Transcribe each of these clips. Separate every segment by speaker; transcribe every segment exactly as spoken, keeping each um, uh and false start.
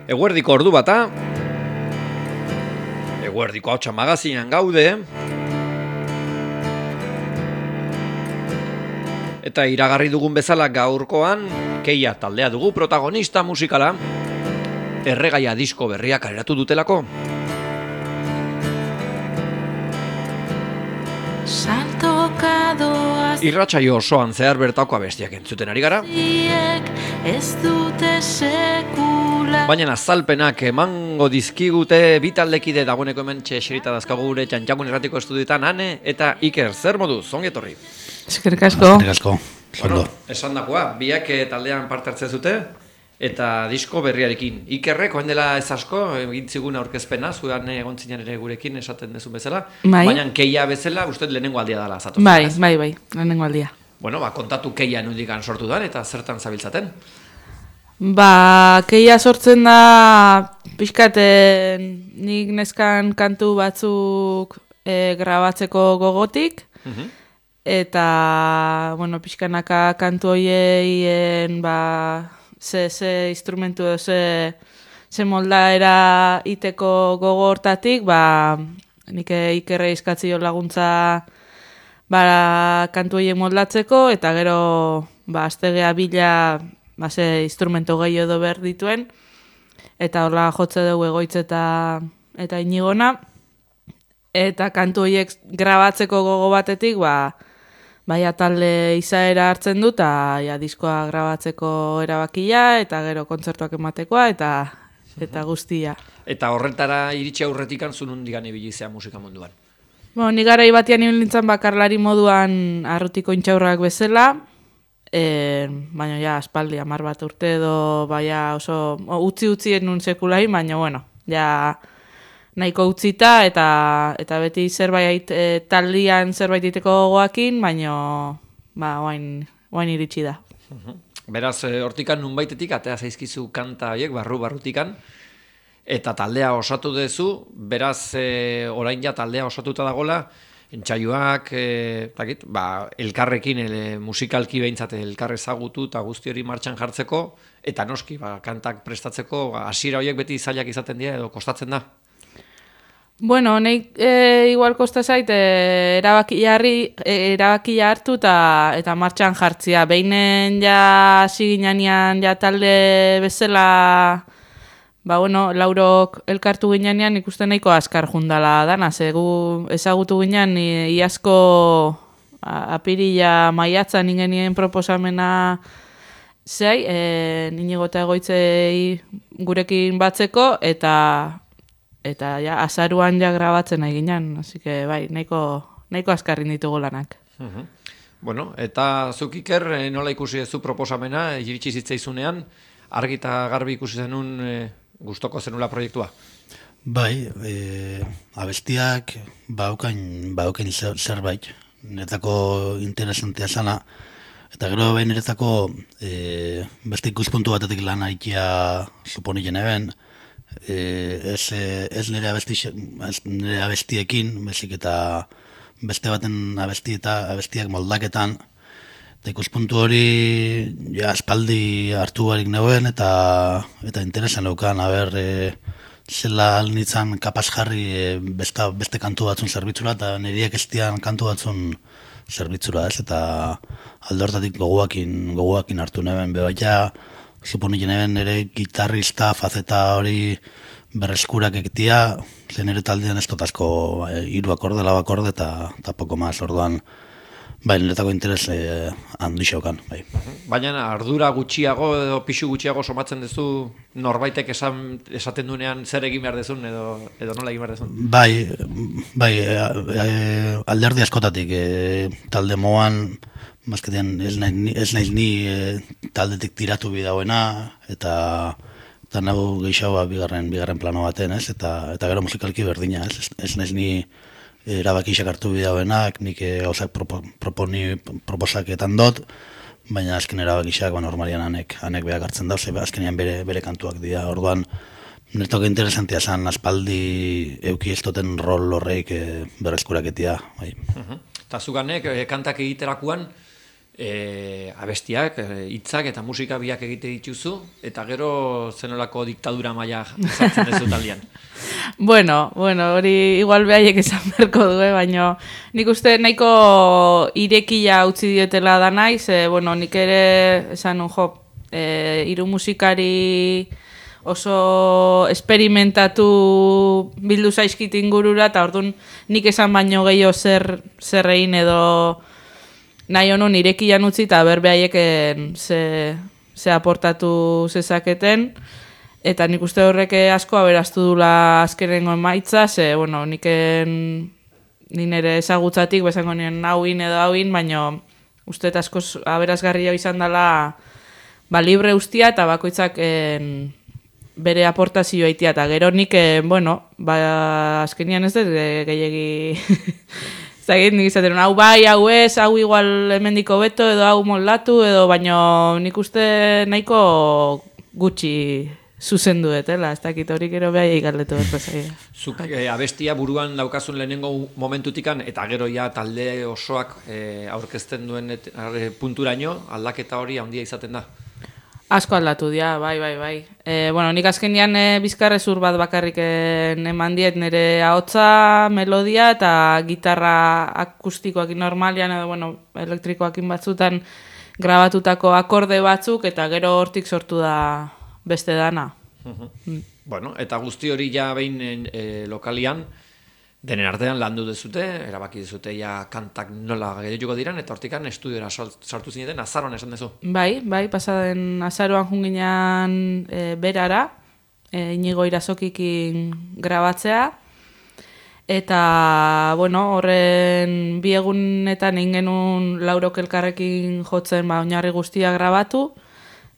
Speaker 1: Eguerdiko ordu bata, Eguerdiko hautsa magazinan gaude, eta iragarri dugun bezala gaurkoan, Keia taldea dugu protagonista musikala, Erregaia disko berriak kaleratu dutelako. Irratsaio osoan zehar bertako abestiak entzuten ari gara. Baina azalpenak emango dizkigute bi taldekide dagoeneko hemen txeserita dazkagu gure Txantxangun Irratiko estudioetan Ane eta Iker. Zer moduz, ongi etorri?
Speaker 2: Eskerrik asko.
Speaker 3: Eskerrik asko.
Speaker 1: Bueno, esan dakoa, biak taldean parte hartzen zute eta disko berriarekin. Ikerrek, oen dela ez asko, egin zigun aurkezpena, zuean egon zinen ere gurekin esaten dezun bezala.
Speaker 2: Bai.
Speaker 1: Baina Keia bezala, uste lehenengo aldia dela zatoz.
Speaker 2: Bai, bai, bai, lehenengo aldia.
Speaker 1: Bueno, ba, kontatu Keia nundikan sortu dan eta zertan zabiltzaten?
Speaker 2: Ba, Keia sortzen da pixkaten nik neskan kantu batzuk e, grabatzeko gogotik, uh-huh. Eta, bueno, pixkanaka kantu hoieien, ba, ze, ze instrumentu edo, ze, ze moldaera iteko gogo hortatik, ba, nik Ikerre izkatzio laguntza ba, kantu hoien moldatzeko, eta gero, ba, aztegea bila, ba, ze instrumentu gehiago edo behar dituen, eta horla jotze dugu Egoitz eta, eta Inigona, eta kantu horiek grabatzeko gogo batetik, ba, baia talde izaera hartzen du, eta ja, diskoa grabatzeko erabakia, eta gero kontzertuak ematekoa, eta eta guztia.
Speaker 1: Eta horretara iritsi aurretik antzun hundigan ibilizea musika munduan?
Speaker 2: Bo, ni garai batian ibiltzen bakarlari moduan arrutiko intxaurrak bezala, e, baina ja, aspaldi, hamar bat urte edo, baina oso, utzi-utzi enun sekulai, baina bueno, ja, nahiko utzita eta eta beti zerbait e, taldian zerbait iteko gogoakin, baino ba orain orain iritsi da.
Speaker 1: Beraz, hortikan nunbaitetik atea zaizkizu kanta hauek barru barrutikan eta taldea osatu duzu, beraz e, orain ja taldea osatuta dagola, entsaioak e, takit, ba, elkarrekin ele, musikalki behintzat elkar ezagutu eta guzti hori martxan jartzeko eta noski, ba, kantak prestatzeko hasiera horiek beti zailak izaten dira edo kostatzen da.
Speaker 2: Bueno, nahi e, igual kosta zait e, erabaki jarri, e, erabakia hartu eta eta martxan jartzia. Beinen ja hasi ginean ja talde bezala, ba bueno, Laurok elkartu ginean ikusten nahiko azkar jundala dana, ze gu ezagutu ginean iazko apirila maiatzan ingenien proposamena zei, e, Inigo eta Egoitzei gurekin batzeko eta Eta ja, azaruan ja grabatzen nahi ginen, así que bai, nahiko, nahiko azkarrin ditugu lanak.
Speaker 1: Uh-huh. Bueno, eta zuk Iker, nola ikusi zu proposamena, iritsi zitzaizunean, argi eta garbi ikusi zenun e, gustoko zenula proiektua?
Speaker 3: Bai, e, abestiak baukain, baukain zerbait, niretako interesantea zana, eta gero behin niretako e, beste ikuspuntu batetik lan haitia suponitzen eben, E, ez, ez nire, abesti, ez nire abestiekin, bezik eta beste baten abesti eta abestiak moldaketan, eta ikuspuntu hori ja, espaldi hartu barik neuen eta eta interesan eukan, haber, e, zela alnitzan kapaz jarri e, besta, beste kantu batzun zerbitzura, eta niriek estian kantu batzun zerbitzura, ez, eta alde hortatik gogoakin, gogoakin hartu neuen, bebaita, suponitzen eben ere gitarrista fazeta hori berreskurak egitea, zen ere taldean ez dotazko ba, hiru akorde, lau akorde eta, eta poko maz, orduan bai, niretako interes eh, handi xaukan. Bai.
Speaker 1: Baina ardura gutxiago edo pixu gutxiago somatzen duzu norbaitek esan, esaten dunean zer egin behar dezun edo, edo nola egin behar dezun?
Speaker 3: Bai, bai e, e, alderdi askotatik, e, talde moan Mazketean ez naiz, ez naiz ni e, taldetik tiratu bidauena eta eta nago gehiago bigarren bigarren plano baten, ez? Eta eta gero musikalki berdina, ez? Ez naiz ni erabakiak hartu bidauenak, nik gauzak propo, proponi proposaketan dot, baina azken erabakiak ba normalian anek anek beak hartzen da, ze azkenean bere bere kantuak dira. Orduan niretzako interesantea zen aspaldi euki ez duten rol horreik e, berreskuraketia, bai.
Speaker 1: Uh-huh. Eta zuganek, e, kantak egiterakuan e, abestiak, hitzak eta musika biak egite dituzu, eta gero zenolako diktadura maila sartzen dezu taldean.
Speaker 2: Bueno, bueno, hori igual behaiek esan berko du, baina nik uste nahiko irekia utzi dietela da naiz, e, bueno, nik ere esan un jo, e, hiru musikari oso esperimentatu bildu zaizkit ingurura, eta orduan nik esan baino gehiago zer, zer egin edo nahi honun irekian utzi, eta berbehaieken ze, ze aportatu zezaketen, eta nik uste horrek asko aberaztu dula azkenengo emaitza, ze, bueno, niken nire ezagutzatik, bezango nien hauin edo hauin, baina uste eta asko aberazgarria izan dela ba, libre ustia eta bakoitzak en, bere aportazioa itia, eta gero nik, en, bueno, ba, azkenian ez dut gehiagi... Zagit, nik izaten, hau bai, hau ez, hau igual hemendiko beto, edo hau moldatu, edo baino nik uste nahiko gutxi zuzendu etela, ez dakit hori gero behai galdetu berko zaila.
Speaker 1: Zuk e, abestia buruan daukazun lehenengo momentutikan, eta gero ja talde osoak e, aurkezten duen et, arre, punturaino, aldaketa hori handia izaten da.
Speaker 2: Asko aldatu dira, bai, bai, bai. E, bueno, nik azkenean e, bizkarrezur bat bakarrik eman diet nire ahotsa, melodia eta gitarra akustikoakin normalian edo, bueno, elektrikoakin batzutan grabatutako akorde batzuk eta gero hortik sortu da beste dana.
Speaker 1: Uh-huh. mm. Bueno, eta guzti hori ja behin e, lokalian, denen artean landu dezute, erabaki dezute ja kantak nola gehiago diren, eta hortikan estudiora sartu zineten, azaroan esan dezu.
Speaker 2: Bai, bai, pasaden azaroan junginan e, berara, e, Inigo Irazokikin grabatzea, eta, bueno, horren bi egunetan egin genuen laurok elkarrekin jotzen ba, oinarri guztia grabatu,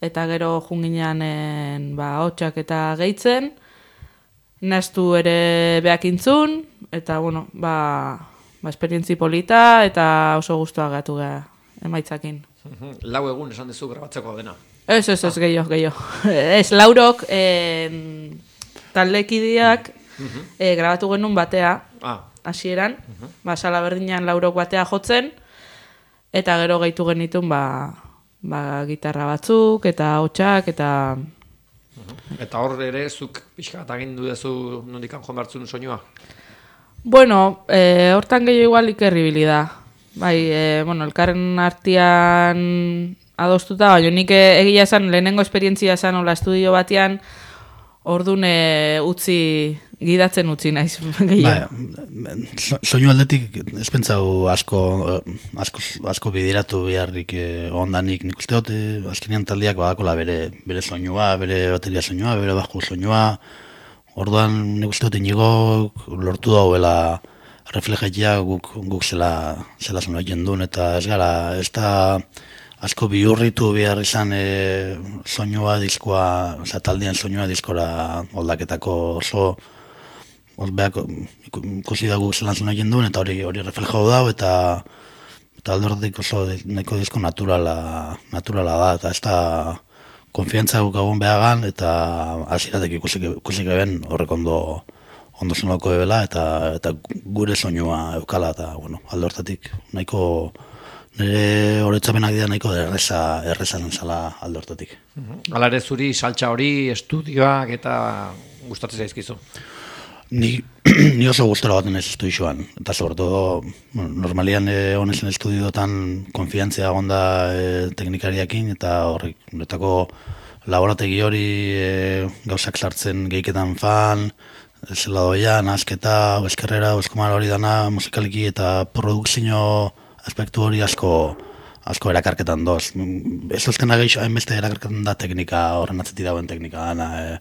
Speaker 2: eta gero junginan ba, hotxak eta gehitzen, naztu ere behakintzun, eta, bueno, ba, ba esperientzi polita, eta oso guztua gatu geha emaitzakin.
Speaker 1: Lau egun esan dezu grabatzeko dena.
Speaker 2: Ez, ez, ez, gehiago, gehiago. Ez, laurok eh, taldekideak eh, grabatu genuen batea, hasieran, ah. ba, sala berdinan laurok batea jotzen, eta gero gehitu genitun, ba, ba, gitarra batzuk, eta hotxak, eta...
Speaker 1: Eta hor ere, zuk pixka bat agindu dezu nondikan joan bartzun soinua?
Speaker 2: Bueno, e, hortan gehiago igual ikerribili da. Bai, e, bueno, elkarren artean adostuta, baina nik egia esan, lehenengo esperientzia esan hola estudio batean, orduan e, utzi, gidatzen utzi naiz.
Speaker 3: Ba, soinu aldetik ez pentsau asko, asko, asko bidiratu beharrik eh, ondanik. Nik uste dut, eh, azkenean taldeak badakola bere, bere soinua, bere bateria soinua, bere baju soinua. Orduan nik uste dut Inigo lortu dauela reflejatia guk, guk zela, zela soinu egin duen, eta ez gara, ez da asko bihurritu behar izan e, soinua diskoa, oza, taldean soinua diskora oldaketako oso Beak, ikusi da guk zelan zuen egin duen, eta hori hori reflejau dau, eta eta aldortik oso nahiko disko naturala, naturala da, eta ez da konfiantza guk agun behagan, eta hasieratek ikusi, ikusi geben horrek ondo ondo zonako ebela, eta, eta gure soinua eukala, eta bueno, aldortatik nahiko nire horretzapenak dira nahiko erreza, erreza zala aldortatik.
Speaker 1: Hala ere zuri saltza hori, estudioak eta gustatzen zaizkizu?
Speaker 3: Ni, ni oso gustora baten ez estudioan, eta sobretodo, bueno, normalian eh, honezen estudioetan konfiantzia onda eh, teknikariakin, eta horrek, horretako laborategi hori eh, gauzak sartzen gehiketan fan, zela doia, nazketa, eskerrera, eskomar hori dana musikaliki, eta produkzio aspektu hori asko asko erakarketan doz. Ez ozkena gehiago hainbeste erakarketan da teknika, horren atzetik dagoen teknika dana, eh,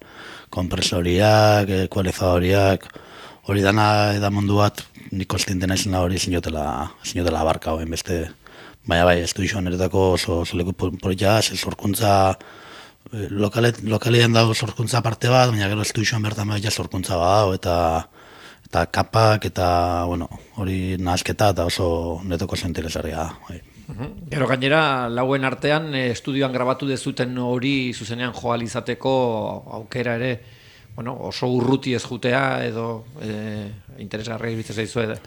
Speaker 3: kompresoriak, ekualizadoriak, hori dana eda mundu bat, nik konstienten naizena hori zinotela, zinotela abarka hoen beste. Baina bai, estudioan eretako oso, oso leku politia, zorkuntza, lokalet, lokalean dago zorkuntza parte bat, baina gero estudioan bertan bai zorkuntza bat, eta eta kapak, eta bueno, hori nahazketa, eta oso netoko oso interesarria da. Bai.
Speaker 1: Gero gainera, lauen artean, estudioan grabatu dezuten hori zuzenean joal izateko aukera ere, bueno, oso urruti ez jutea edo e, interesgarria iruditzen zaizu edo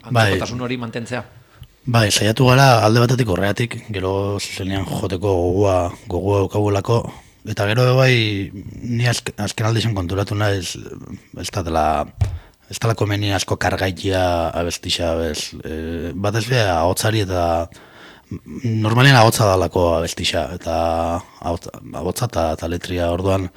Speaker 1: antzekotasun hori mantentzea.
Speaker 3: Bai, saiatu gara alde batetik horreatik, gero zuzenean joteko gogoa, gogoa daukagulako, eta gero bai, ni azk, azken aldi zen konturatu naiz, ez da dela, ez dela komeni asko kargaitia abestixa, bez, e, bat ez beha ahotsari eta normalien ahotsa dalako abestixa, eta ahotsa eta, eta letria orduan,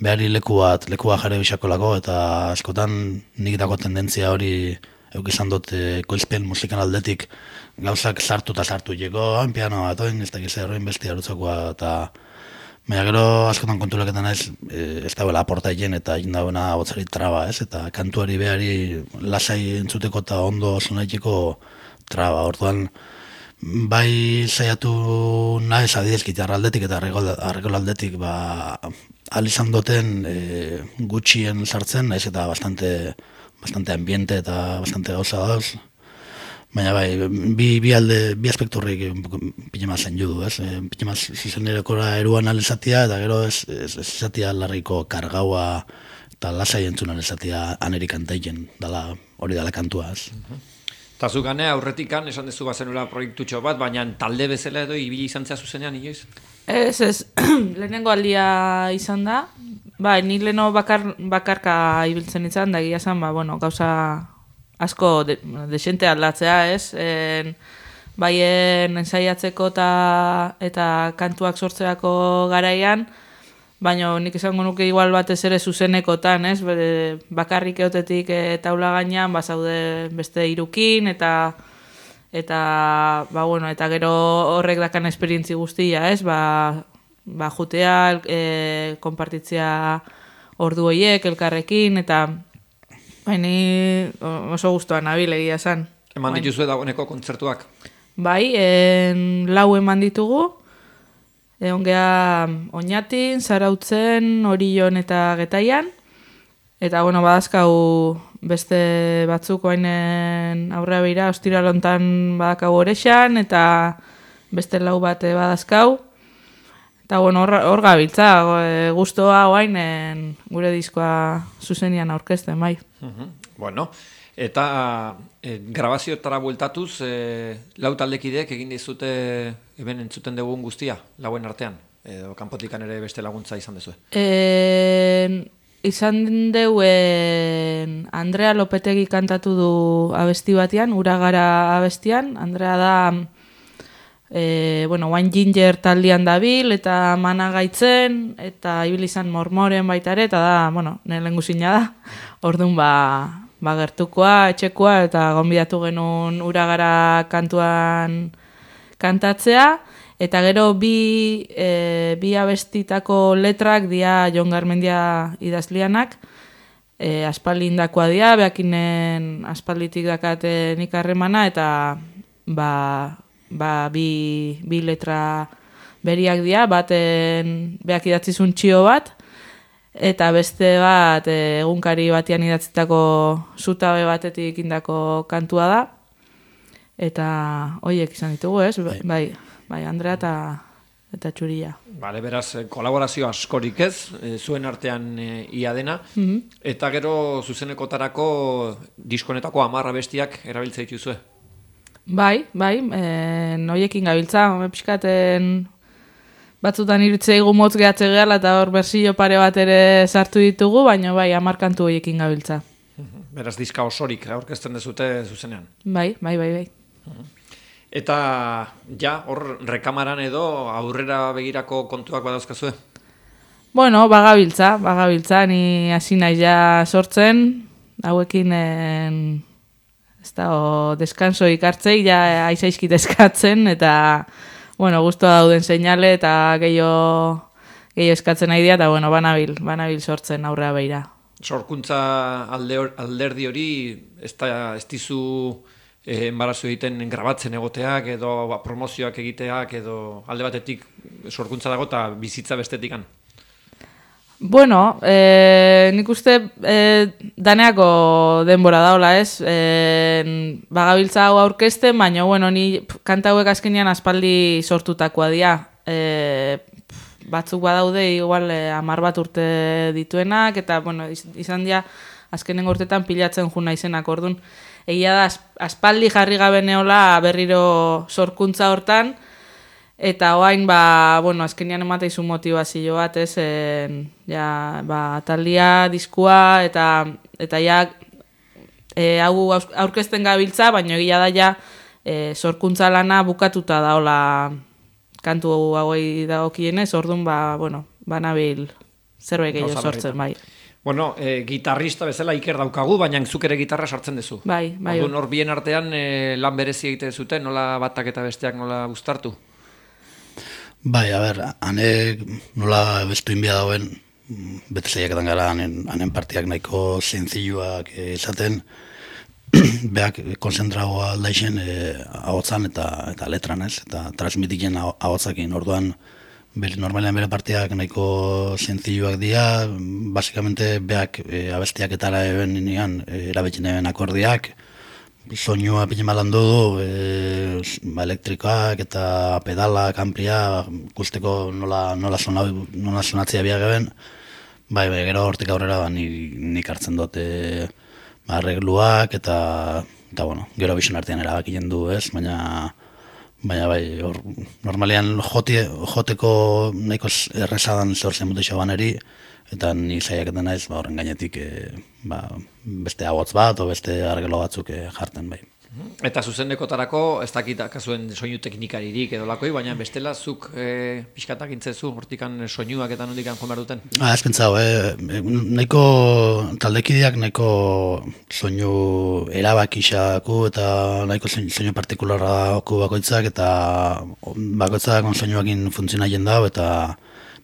Speaker 3: behari leku bat, leku bat jare bisakolako, eta askotan nik dako tendentzia hori euk izan dut e, koizpen musikan aldetik gauzak sartu eta sartu jeko, hain piano bat, oin, ez dakiz erroin bestia erutzakoa, eta baina gero askotan konturaketan ez, e, ez dauela aporta egin eta egin dauena botzari traba, ez, eta kantuari behari lasai entzuteko eta ondo sonaiteko traba, orduan bai saiatu naiz adidez gitarra aldetik eta arregol aldetik, ba, ahal izan duten e, gutxien sartzen, naiz eta bastante bastante ambiente eta bastante gauza dauz. Baina bai, bi, bi alde, bi aspekturrik pile maz zen judu, ez? E, pile maz zuzenerekora eruan alizatia, eta gero ez, ez, ez izatia larriko kargaua eta lasai entzun alizatia anerik antaiken, dala, hori dala kantua, ez?
Speaker 1: Eta zu gane aurretikan, esan dezu bazenula proiektutxo bat, baina talde bezala edo ibili izan zea zuzenean, inoiz?
Speaker 2: Ez, ez, lehenengo aldia izan da, bai, ni leheno bakar, bakarka ibiltzen izan, da egia zan, ba, bueno, gauza asko de, desente aldatzea, ez? En, baien ensaiatzeko ta, eta kantuak sortzeako garaian, baina nik esango nuke igual batez ere zuzenekotan, ez? Bere, bakarrik eotetik e, taula gainean, ba, zaude beste irukin, eta eta ba, bueno, eta gero horrek dakan esperientzi guztia, ez? Ba, ba jutea, e, konpartitzea ordu horiek elkarrekin, eta baini oso gustuan nabil egia esan.
Speaker 1: Eman dituzue dagoeneko kontzertuak?
Speaker 2: Bai, en, lau eman ditugu, egon geha Oñatin, Zarautzen, Orion eta Getaian, eta bueno, badazkau beste batzuk oainen aurrea beira, ostiralontan badakau Orexan, eta beste lau bat badazkau. Eta bueno, hor, hor gabiltza, guztua oainen gure diskoa zuzenian aurkezten, bai.
Speaker 1: Uh-huh. Bueno, eta e, grabaziotara bueltatuz, e, lau taldekideek egin dizute eben entzuten dugun guztia, lauen artean, edo kanpotikan ere beste laguntza izan dezue?
Speaker 2: E, izan deuen Andrea Lopetegi kantatu du abesti batean, Uragara abestian. Andrea da e, bueno, Wine Ginger taldean dabil eta mana gaitzen, eta ibil izan mormoren baita ere, eta da, bueno, nire lehengusina da, orduan ba, ba gertukoa, etxekoa, eta gonbidatu genuen Uragara kantuan kantatzea, eta gero bi, e, bi abestitako letrak dia Jon Garmendia idazlianak, e, aspaldindakoa dia, beakinen aspalditik dakate nik harremana, eta ba, ba, bi, bi letra beriak dia, baten beak idatzizun txio bat, eta beste bat e, egunkari batian idatzitako zutabe batetik indako kantua da, eta hoiek izan ditugu, ez? Bai, bai, bai Andrea eta, eta Txuria.
Speaker 1: Bale, beraz, kolaborazio askorik ez, e, zuen artean e, ia dena,
Speaker 2: Mm-hmm.
Speaker 1: eta gero zuzenekotarako diskonetako amarra bestiak erabiltza dituzue.
Speaker 2: Bai, bai, e, noiekin gabiltza, pixkaten batzutan irutzea motz gehatze gehala eta hor berzio pare bat ere sartu ditugu, baina bai, amarkantu hoiekin gabiltza.
Speaker 1: Beraz, diska osorik aurkezten dezute zuzenean.
Speaker 2: Bai, bai, bai, bai.
Speaker 1: Eta ja, hor rekamaran edo aurrera begirako kontuak badauzkazue?
Speaker 2: Bueno, bagabiltza, bagabiltza, ni hasi naiz ja sortzen, hauekin en, ez da, o, deskanso ikartzei, ja aizaizkit eskatzen, eta, bueno, guztua dauden seinale, eta gehiago gehiago eskatzen nahi dira, eta, bueno, banabil, banabil sortzen aurrera beira.
Speaker 1: Sorkuntza alde, alderdi hori, ez da, ez dizu eh, embarazo egiten grabatzen egoteak, edo ba, promozioak egiteak, edo alde batetik sorkuntza dago eta bizitza bestetikan.
Speaker 2: Bueno, eh, nik uste eh, daneako denbora daola, ez? Eh, bagabiltza hau aurkezten, baina, bueno, ni kanta hauek azkenean aspaldi sortutakoa dira. Eh, batzuk badaude, igual, eh, amar bat urte dituenak, eta, bueno, izan dira azkenengo urtetan pilatzen ju naizenak ordun. Egia da aspaldi jarri gabe neola berriro sorkuntza hortan, eta orain ba, bueno, azkenean emateizu motivazio bat, ez, en, ja, ba, taldia, diskua, eta eta ja e, hau aurkezten gabiltza, baina egia da ja e, sorkuntza lana bukatuta daola kantu hauei dagokienez, orduan ba, bueno, banabil zerbait gehiago sortzen, bai.
Speaker 1: Bueno, e, gitarrista bezala Iker daukagu, baina zuk ere gitarra sartzen duzu.
Speaker 2: Bai, bai.
Speaker 1: Orduan hor bien artean e, lan berezi egite zuten, nola batak eta besteak nola gustartu?
Speaker 3: Bai, a ber, hanek nola bestu inbia dauen, bete zaiaketan gara, hanen, hanen partiak nahiko zentziluak izaten, beak konzentragoa aldaixen e, ahotzan eta, eta letran, ez, eta transmitiken ahotzakin, orduan, normalean bere partiak nahiko zentziluak dira, basikamente beak e, abestiak etara eben nian, e, erabetzen eben akordiak, soinua pine malandu du, e, ba, elektrikoak eta pedalak, amplia, guzteko nola, nola, sona, nola sonatzea biak eben, bai, bai, gero hortik aurrera ba, nik, nik hartzen dut e, ba, arregluak eta, eta bueno, gero bizon artean erabakien du, ez, baina baina bai, or, normalean joti, joteko nahiko errezadan zehor zen mutexo baneri, eta ni zaiaketan naiz, ba, horren gainetik e, ba, beste agotz bat, o beste argelo batzuk e, jarten bai.
Speaker 1: Eta zuzendekotarako, ez dakit kasuen soinu teknikaririk edo lakoi, baina bestela zuk e, pixkatak intzezu, hortikan soinuak eta nondikan joan behar duten?
Speaker 3: Ah, ez pentsau, eh? nahiko taldekideak nahiko soinu erabakixaku eta nahiko soinu partikularra bakoitzak eta bakoitzak soinuakin funtzionaien dau eta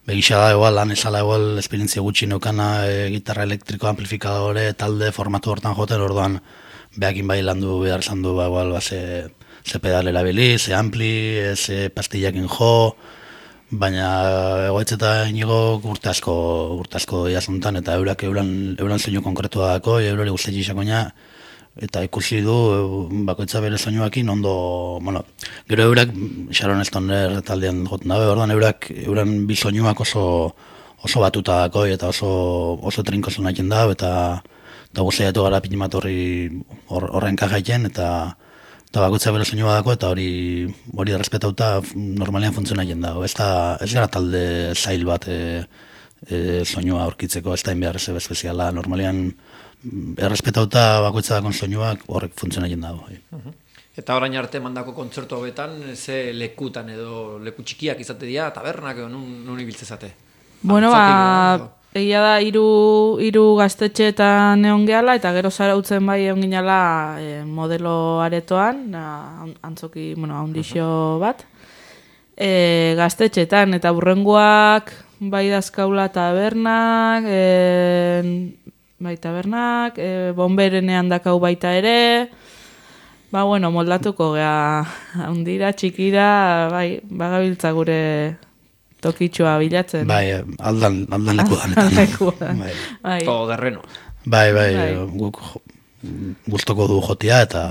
Speaker 3: begisa da, igual, lan esala igual esperientzia gutxi neukana e, gitarra elektriko, amplifikadore, talde formatu hortan joten, orduan behakin bai landu behar izan du, ba, igual, ba, ze, ze pedal erabili, ze ampli, ze pastillakin jo, baina egoitz eta inigo urte asko, urte asko jazuntan, eta eurak euran, euran soinu konkretua dako, eurari guztetxe isakoina, eta ikusi du bakoitza bere soinuakin ondo, bueno, gero eurak Sharon Stoner taldean joten dabe, orduan eurak euran bi soinuak oso oso batuta dako eta oso oso trinko sonatzen da eta eta guztiatu gara pinimat horri horren kajaiten eta eta bakoitza bere soinua dako eta hori hori errespetauta normalean funtzionatzen da. Ez da ez gara talde zail bat e, e, soinua aurkitzeko, ez da inbehar ez espeziala, normalean errespetauta bakoitza dakon soinuak horrek funtzionatzen dago.
Speaker 1: Eta orain arte mandako kontzertu hauetan, ze lekutan edo leku txikiak izate dira, tabernak edo nun, nun ibiltzezate?
Speaker 2: Bueno, ba, egia da, hiru hiru gaztetxeetan egon gehala, eta gero zarautzen bai egon ginala e, modelo aretoan, na, antzoki, bueno, haundixo bat, e, gaztetxeetan, eta burrengoak bai dazkaula tabernak, e, bai tabernak, e, bomberenean dakau baita ere, ba, bueno, moldatuko gea, haundira, txikira, bai, bagabiltza gure tokitxoa bilatzen.
Speaker 3: Bai, aldan, aldan leku danetan.
Speaker 2: Bai. Bai.
Speaker 1: Todo terreno.
Speaker 3: Bai, bai, guk gustoko du jotia eta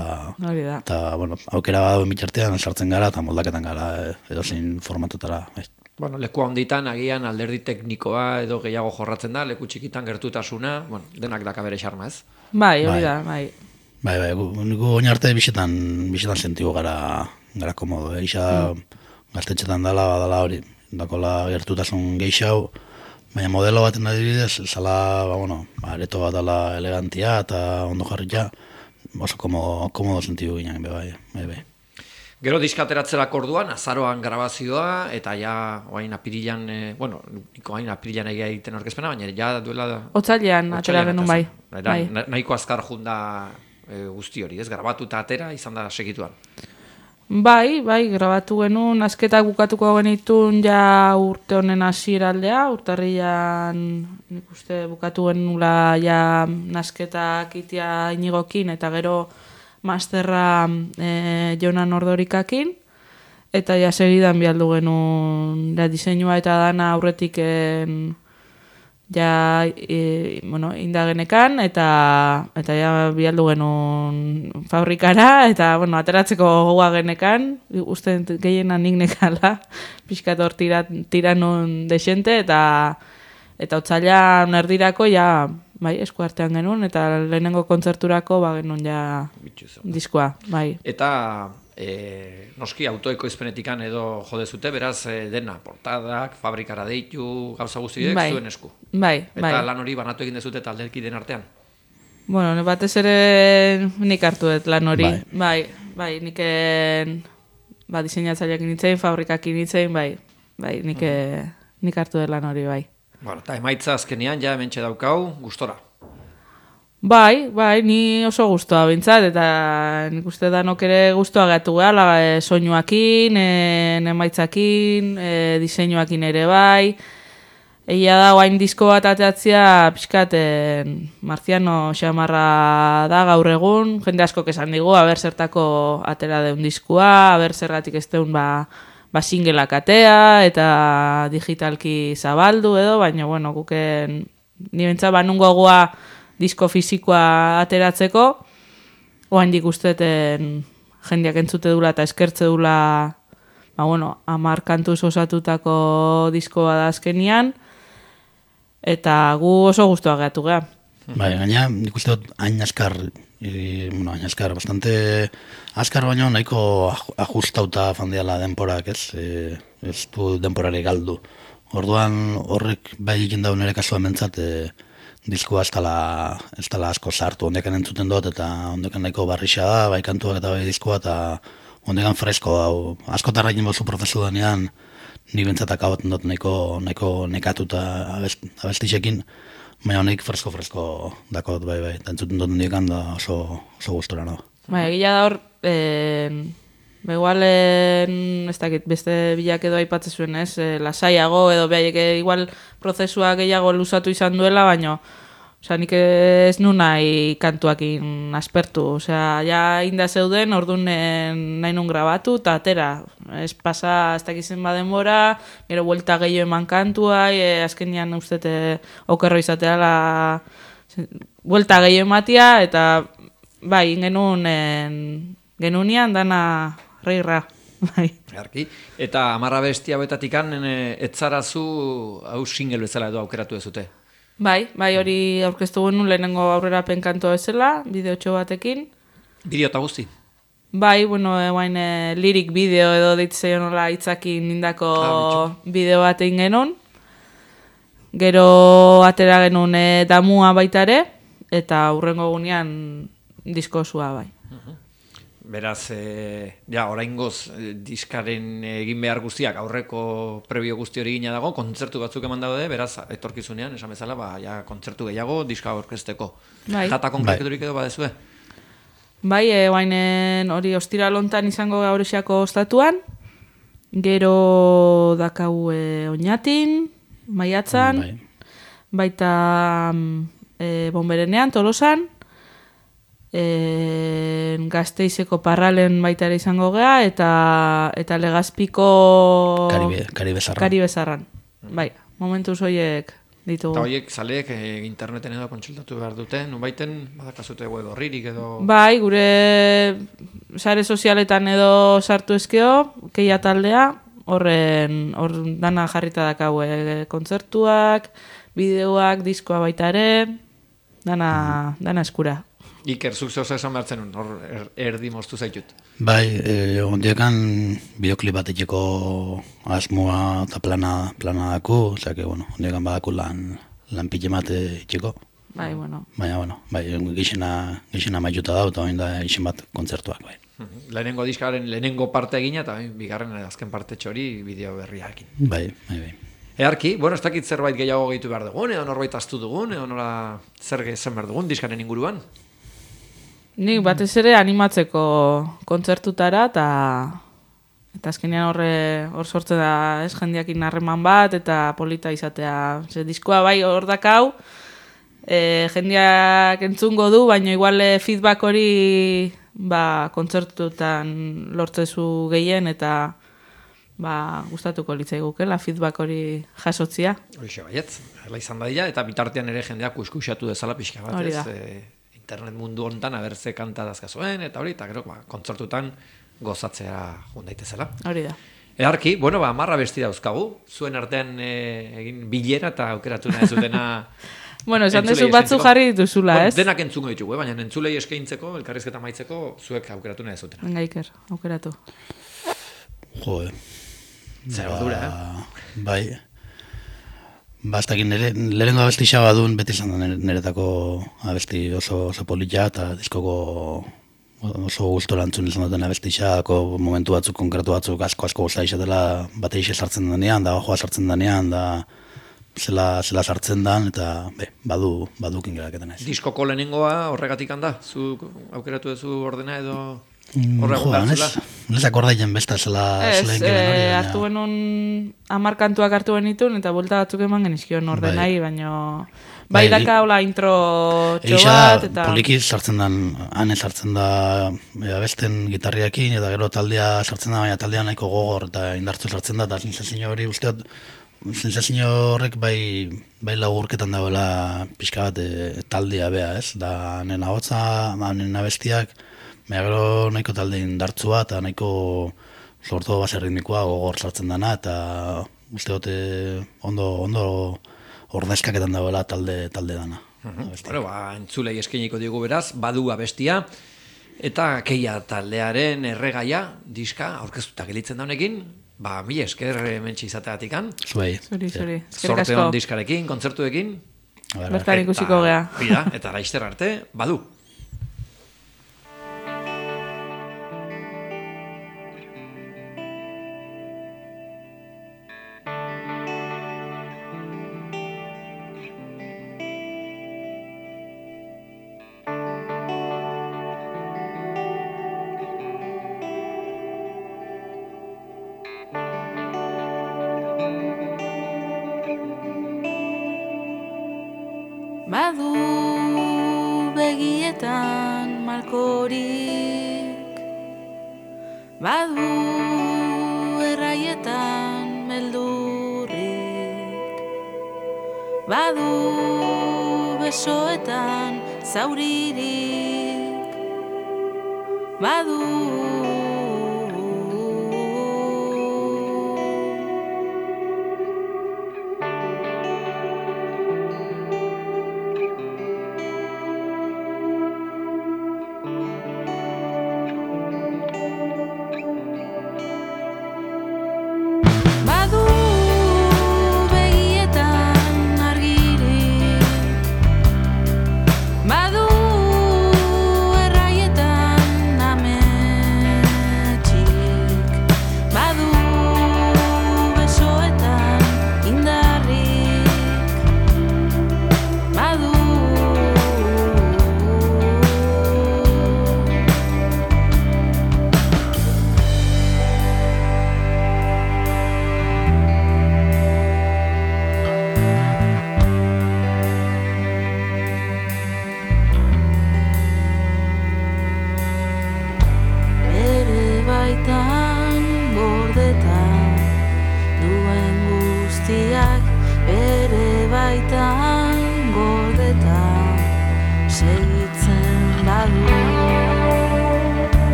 Speaker 3: eta bueno, aukera badu mitxartean sartzen gara eta moldaketan gara edozein formatutara, bai.
Speaker 1: Bueno, leku handitan agian alderdi teknikoa edo gehiago jorratzen da, leku txikitan gertutasuna, bueno, denak daka bere xarma, ez?
Speaker 2: Bai, hori da, bai.
Speaker 3: Bai, bai, gu oin arte bisetan bisetan sentigu gara gara komodo, eixa gaztetxetan dala, badala hori, dakola gertutasun geixau, baina modelo baten adibidez, zala, ba, bueno, areto bat dala elegantia eta ondo jarritia, oso komodo, komodo sentidu ginen, bai, bai, bai.
Speaker 1: Gero diskateratzerak orduan, azaroan grabazioa, eta ja, oain apirilan, e, bueno, niko oain apirilan egia egiten orkezpena, baina ja duela...
Speaker 2: Otzailean, atera genuen bai.
Speaker 1: Bai. Nahiko azkar junda e, guzti hori, ez? Grabatu eta atera izan da segituan.
Speaker 2: Bai, bai, grabatu genuen, azketak bukatuko genitun ja urte honen hasieraldea, urtarrian nik uste bukatu genuela ja nasketak itia inigokin, eta gero masterra e, Jonan Ordorikakin, eta ja segidan bialdu genuen ja, diseinua eta dana aurretik en, ja e, bueno, indagenekan, eta eta ja bialdu genuen fabrikara, eta bueno, ateratzeko gogoa genekan, uste gehiena nik nekala, pixkat hor tira, tira nun desente, eta eta otzailan erdirako ja bai, esku artean genuen, eta lehenengo kontzerturako ba genuen ja diskoa, bai.
Speaker 1: Eta e, noski autoekoizpenetikan edo jodezute, beraz e, dena, portadak, fabrikara deitu, gauza guztiek
Speaker 2: bai.
Speaker 1: zuen esku.
Speaker 2: Bai,
Speaker 1: eta
Speaker 2: bai.
Speaker 1: lan hori banatu egin dezute taldeekideen artean.
Speaker 2: Bueno, batez ere nik hartu dut lan hori.
Speaker 3: Bai,
Speaker 2: bai, bai nik ba, diseinatzaileak nintzen, fabrikak nintzen, bai, bai, nik, uh-huh. nik hartu dut lan hori, bai.
Speaker 1: Bueno, eta emaitza azkenean ja hementxe daukau, gustora.
Speaker 2: Bai, bai, ni oso gustoa bintzat, eta nik uste danok ere gustoa gatu gehala, e, soinuakin, e, emaitzakin, e, diseinuakin ere bai. Egia da, guain disko bat ateatzea, pixkat, e, Marciano xamarra da gaur egun, jende asko esan digu, haber zertako atera deun diskua, haber zergatik ez deun ba, ba singelak atea, eta digitalki zabaldu edo, baina, bueno, guken, ni bentsa, ba, nungo goa disko fisikoa ateratzeko, oain dik usteten jendeak entzute dula eta eskertze dula, ba, bueno, amar kantuz osatutako diskoa da azkenian, eta gu oso guztua gehatu geha.
Speaker 3: Bai, gaina, nik uste dut hain askar, e, bueno, hain askar, bastante askar baino nahiko ajustauta fandiala denporak, ez? E, ez du denporare galdu. Orduan horrek bai egin daun ere kasua mentzat, e, diskoa ez dala, ez dala asko sartu, ondekan entzuten dut, eta ondekan nahiko barrixa da, bai kantuak eta bai diskoa, eta ondekan fresko, hau, asko tarrakin bozu prozesu denean, ni bentzatak hau dut nahiko, nahiko nekatuta abest, abestixekin, baina honek fresko-fresko dakot, bai, bai, eta entzuten dut ondekan da oso, oso gustora nago.
Speaker 2: Bai, egia da hor, eh, igual, eh, ez dakit, beste bilak edo aipatzen zuen, ez, eh, lasaiago, edo behaiek igual prozesua gehiago luzatu izan duela, baina, osea, nik ez nu nahi kantuakin aspertu, osea, ja inda zeuden, orduan nahi nun grabatu, eta atera, ez pasa, ez dakizen badenbora, gero buelta gehiago eman kantua, e, azkenian ustete okerro izatea la, buelta gehiago ematia, eta bai, genuen, genunian dana reirra. Bai.
Speaker 1: Arki. Eta amarra bestia betatikan, etzarazu hau single bezala edo aukeratu dezute.
Speaker 2: Bai, bai hori aurkeztu genuen lehenengo aurrerapen kantua bezala, bideotxo batekin.
Speaker 1: Bideo eta guzti?
Speaker 2: Bai, bueno, eguain e, lirik bideo edo deitzea nola hitzakin indako ah, bideo bat egin genuen. Gero atera genuen e, damua baita ere, eta hurrengo gunean disko osua bai.
Speaker 1: Beraz, e, ja, oraingoz e, diskaren egin behar guztiak aurreko prebio guzti hori gina dago, kontzertu batzuk eman daude, beraz, etorkizunean, esan bezala, ba, ja, kontzertu gehiago, diska aurkezteko. Bai. Data konkreturik edo badezue?
Speaker 2: Bai, e, guainen hori ostira lontan izango gaurexako ostatuan, gero dakau e, oinatin, maiatzan, bai. Baita e, Bonberenean, Tolosan, E, Gasteizeko Parralen baita ere izango gea, eta eta Legazpiko
Speaker 3: Karibe, Karibezarran.
Speaker 2: Karibezarran. Bai, momentuz horiek ditugu.
Speaker 1: Eta horiek zaleek e, interneten edo kontsultatu behar dute, nunbaiten badakazute web horririk edo...
Speaker 2: Bai, gure sare sozialetan edo sartu ezkeo, keia taldea, horren hor dana jarrita dakau e, kontzertuak, bideoak, diskoa baita ere, dana, dana eskura.
Speaker 1: Iker, zuk zehose esan behartzen nun, hor er, erdi moztu zaitut.
Speaker 3: Bai, e, ondiekan bideoklip bat etxeko asmoa eta plana, plana daku, osea, bueno, ondiekan badaku lan, lan pile mate etxeko.
Speaker 2: Bai, bueno.
Speaker 3: Baina, bueno, bai, gixena, gixena maituta da, eta hori da ixen bat kontzertuak, bai.
Speaker 1: Lehenengo diskaren lehenengo parte egina, eta bigarren azken parte txori bideo berriakin.
Speaker 3: Bai, bai, bai.
Speaker 1: Earki, bueno, ez dakit zerbait gehiago gehitu behar dugun, edo norbait astu dugun, edo nola zer gezen behar dugun diskaren inguruan.
Speaker 2: Nik batez ere animatzeko kontzertutara, eta eta azkenean horre hor sortzen da, ez, jendeakin harreman bat, eta polita izatea. Ze, diskoa bai hor dakau, e, jendeak entzungo du, baina igual feedback hori ba, kontzertutan lortzezu gehien, eta ba, gustatuko litzaigukela feedback hori jasotzia.
Speaker 1: Horixe baietz, hala izan dadila, eta bitartean ere jendeak kuskusatu dezala pixka bat, ez, e, internet mundu hontan abertze kanta dazkazuen, eta hori, eta gero, ba, kontzertutan gozatzea jun daitezela.
Speaker 2: Hori da.
Speaker 1: Earki, bueno, ba, marra besti dauzkagu, zuen artean e, egin bilera eta aukeratu nahi zutena
Speaker 2: Bueno, esan
Speaker 1: entzulei
Speaker 2: dezu batzu
Speaker 1: eskaintzeko.
Speaker 2: jarri dituzula,
Speaker 1: Bueno,
Speaker 2: ez?
Speaker 1: denak entzungo ditugu, eh? Baina entzulei eskaintzeko, elkarrizketa maitzeko, zuek aukeratu nahi zutena.
Speaker 2: Venga, Iker, aukeratu.
Speaker 3: Jo, eh.
Speaker 1: Zer ordura, eh?
Speaker 3: Bai. Ba, ez dakit, nire, lehenengo abesti xabadun beti izan da nire- niretako abesti oso, oso polita eta diskoko oso gustora entzun izan duten abesti xako momentu batzuk, konkretu batzuk asko asko guztia izatela bateixe sartzen denean, da joa sartzen denean, da zela, zela sartzen dan, eta be, badu, badukin geraketen naiz.
Speaker 1: Diskoko lehenengoa horregatik handa? Zuk aukeratu duzu ordena edo
Speaker 3: Mm,
Speaker 1: horregun
Speaker 3: joa,
Speaker 1: behar zela?
Speaker 3: ez, ez akordaien besta zela
Speaker 2: Ez,
Speaker 3: zela
Speaker 2: eh,
Speaker 3: inkeben hori, baina-
Speaker 2: hartu genuen hamar kantuak hartu genitun eta buelta batzuk eman genizkion ordenai, baina bai
Speaker 3: Bai,
Speaker 2: daka hola intro txo
Speaker 3: Eixa
Speaker 2: bat,
Speaker 3: da,
Speaker 2: eta
Speaker 3: poliki sartzen dan, hane sartzen da e, abesten gitarriakin, eta gero taldea sartzen da, baina taldea nahiko gogor eta indartzu sartzen da, eta sensazio hori usteot, sensazio horrek bai, bai lagurketan dagoela pixka bat e, taldea bea, ez? Da, nena hotza, ba, nena abestiak, baina gero nahiko talde indartzua, eta nahiko sortu base ritmikoa gogor sartzen dana, eta usteot e, ondo, ondo ordezkaketan dagoela talde, talde dana. abestia.
Speaker 1: Bueno, ba, entzulei eskainiko digu beraz, badu abestia, eta keia taldearen erregaia, diska, aurkeztuta gelitzen da honekin, ba, mila esker hementsi izateatikan,
Speaker 3: Zuei.
Speaker 2: zuri, zuri. Eskerrik
Speaker 1: sorte
Speaker 2: asko.
Speaker 1: on diskarekin, kontzertuekin,
Speaker 3: A ber,
Speaker 2: Bertan ikusiko gea.
Speaker 1: Bida, eta laizter arte, badu.
Speaker 2: Badu begietan malkorik, badu erraietan beldurrik, badu besoetan zauririk, badu